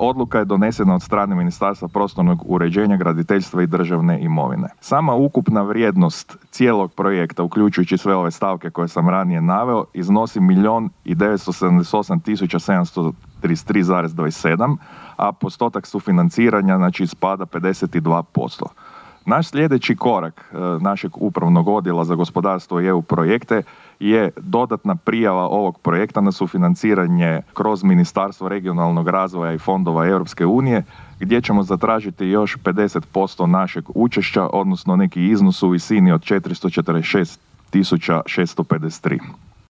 Odluka je donesena od strane Ministarstva prostornog uređenja, graditeljstva i državne imovine. Sama ukupna vrijednost cijelog projekta, uključujući sve ove stavke koje sam ranije naveo, iznosi 1.978.733,27, a postotak sufinanciranja spada 52%. Naš sljedeći korak našeg upravnog odjela za gospodarstvo i EU projekte je dodatna prijava ovog projekta na sufinanciranje kroz Ministarstvo regionalnog razvoja i fondova Europske unije, gdje ćemo zatražiti još 50% našeg učešća, odnosno neki iznos u visini od 446.653.